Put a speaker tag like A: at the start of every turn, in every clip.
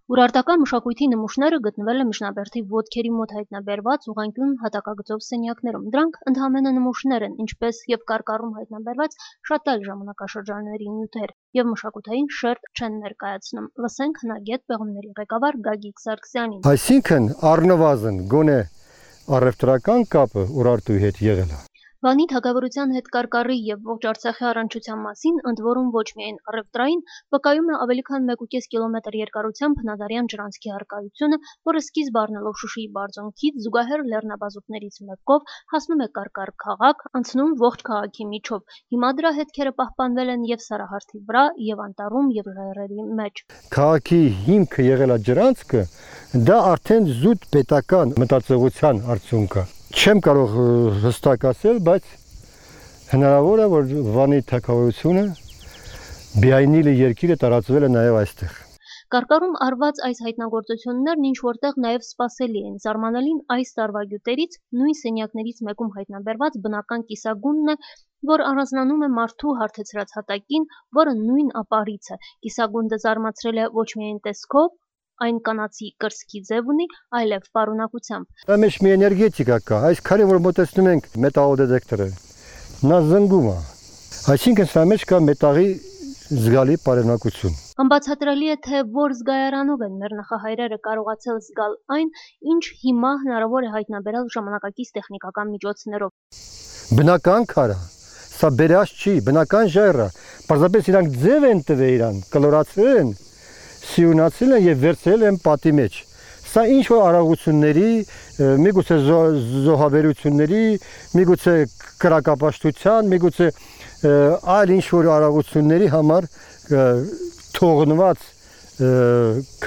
A: Ուրարտական մշակույթի նմուշները գտնվել են միջնաբերդի ոտքերի մոտ հայտնաբերված ուղղանկյուն հատակագծով սենյակներում։ Դրանք ընդհանրապես նմուշներ են, ինչպես եւ կարկառում հայտնաբերված շատ այլ ժամանակաշրջանների նյութեր, եւ մշակութային շերտ չեն ներկայացնում։ Լսենք հնագետ պեղումների ղեկավար Գագիկ Սարգսյանին։
B: Այսինքն առնվազն գոնե առևտրական կապը Ուրարտուի հետ եղել է։
A: Վանի թագավորության հետ կարկառի եւ ողջ Արցախի առնչության մասին, ընդ որում ոչ միայն առևտրային, վկայում է ավելի քան 1.5 կիլոմետր երկարությամբ հնադարյան ջրանցքի առկայությունը, որը սկիզբ առնելով Շուշիի բարձունքից զուգահեռ լեռնաբազուկներից մեկով հասնում է Կարկառ քաղաք, անցնում ողջ քաղաքի միջով։ Հիմա դրա հետքերը պահպանվել են եւ Սարահարթի վրա, եւ անտառում, եւ լեռերի մեջ։
B: Քաղաքի հիմքը եղել է ջրանցքը, դա արդեն զուտ պետական մտածողության արդյունք է։ Չեմ կարող հստակ ասել, բայց հնարավոր է, որ Վանի թագավորությունը Բիայնիլի երկիրը տարածվել է նաև այստեղ։
A: Կարկառում արված այս հայտնագործություններն ինչ որտեղ նաև սպասելի են։ Զարմանալին այս տարվա գյուտերից նույն սենյակներից մեկում հայտնաբերված բնական կիսագունդն է, որ առանձնանում է մարդու հարթեցրած հատակին, որը նույն ապարից է։ Կիսագունդը զարմացրել է ոչ միայն տեսքով, այն կանացի կրծքի ձև ունի, այլև պարունակությամբ։
B: Դա մեջ մի էներգետիկա կա, այս քարին որ մոտեցնում ենք մետաղոդետեկտորը, նա զնգում է։ Այսինքն սա մեջ կա մետաղի զգալի պարունակություն։
A: Անբացատրելի է, թե որ զգայարանով են մեր նախահայրերը կարողացել զգալ այն, ինչ հիմա հնարավոր է հայտնաբերել ժամանակակից տեխնիկական միջոցներով։
B: Բնական քար է, սա բերած չի, բնական ժայռ է, պարզապես իրանք ձև են տվել իրան, կլորացրել են, սիունացել են եւ վերցրել են պատի մեջ։ Սա ինչ որ արագությունների, միգուցե զոհաբերությունների, միգուցե կրակապաշտության, միգուցե այլ ինչ որ արագությունների համար թողնված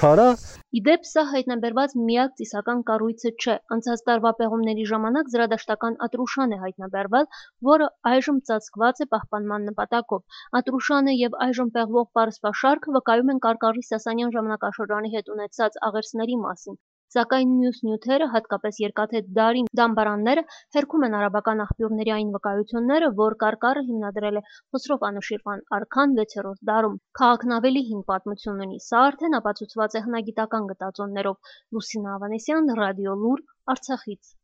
B: քարա։
A: Իդեպ սա հայտնաբերված միակ ծիսական կառույցը չէ։ Անցած տարվա պեղումների ժամանակ զրադաշտական ատրուշան է հայտնաբերվել, որը այժմ ծածկված է պահպանման նպատակով։ Ատրուշանը եւ այժմ պեղվող պարսպաշարքը վկայում են Կարկառի Սասանյան ժամանակաշրջանի հետ ունեցած աղերսների մասին։ Սակայն մյուս նյութերը, հատկապես երկաթե դարի դամբարանները, հերքում են արաբական աղբյուրների այն վկայությունները, որ Կարկառը հիմնադրել է Խոսրով Անուշիրվան արքան 6-րդ դարում։ Քաղաքն ավելի հին պատմություն ունի, սա արդեն ապացուցված է հնագիտական գտածոներով։ Լուսինա Ավանեսյան, Ռադիո Լուր, Արցախից։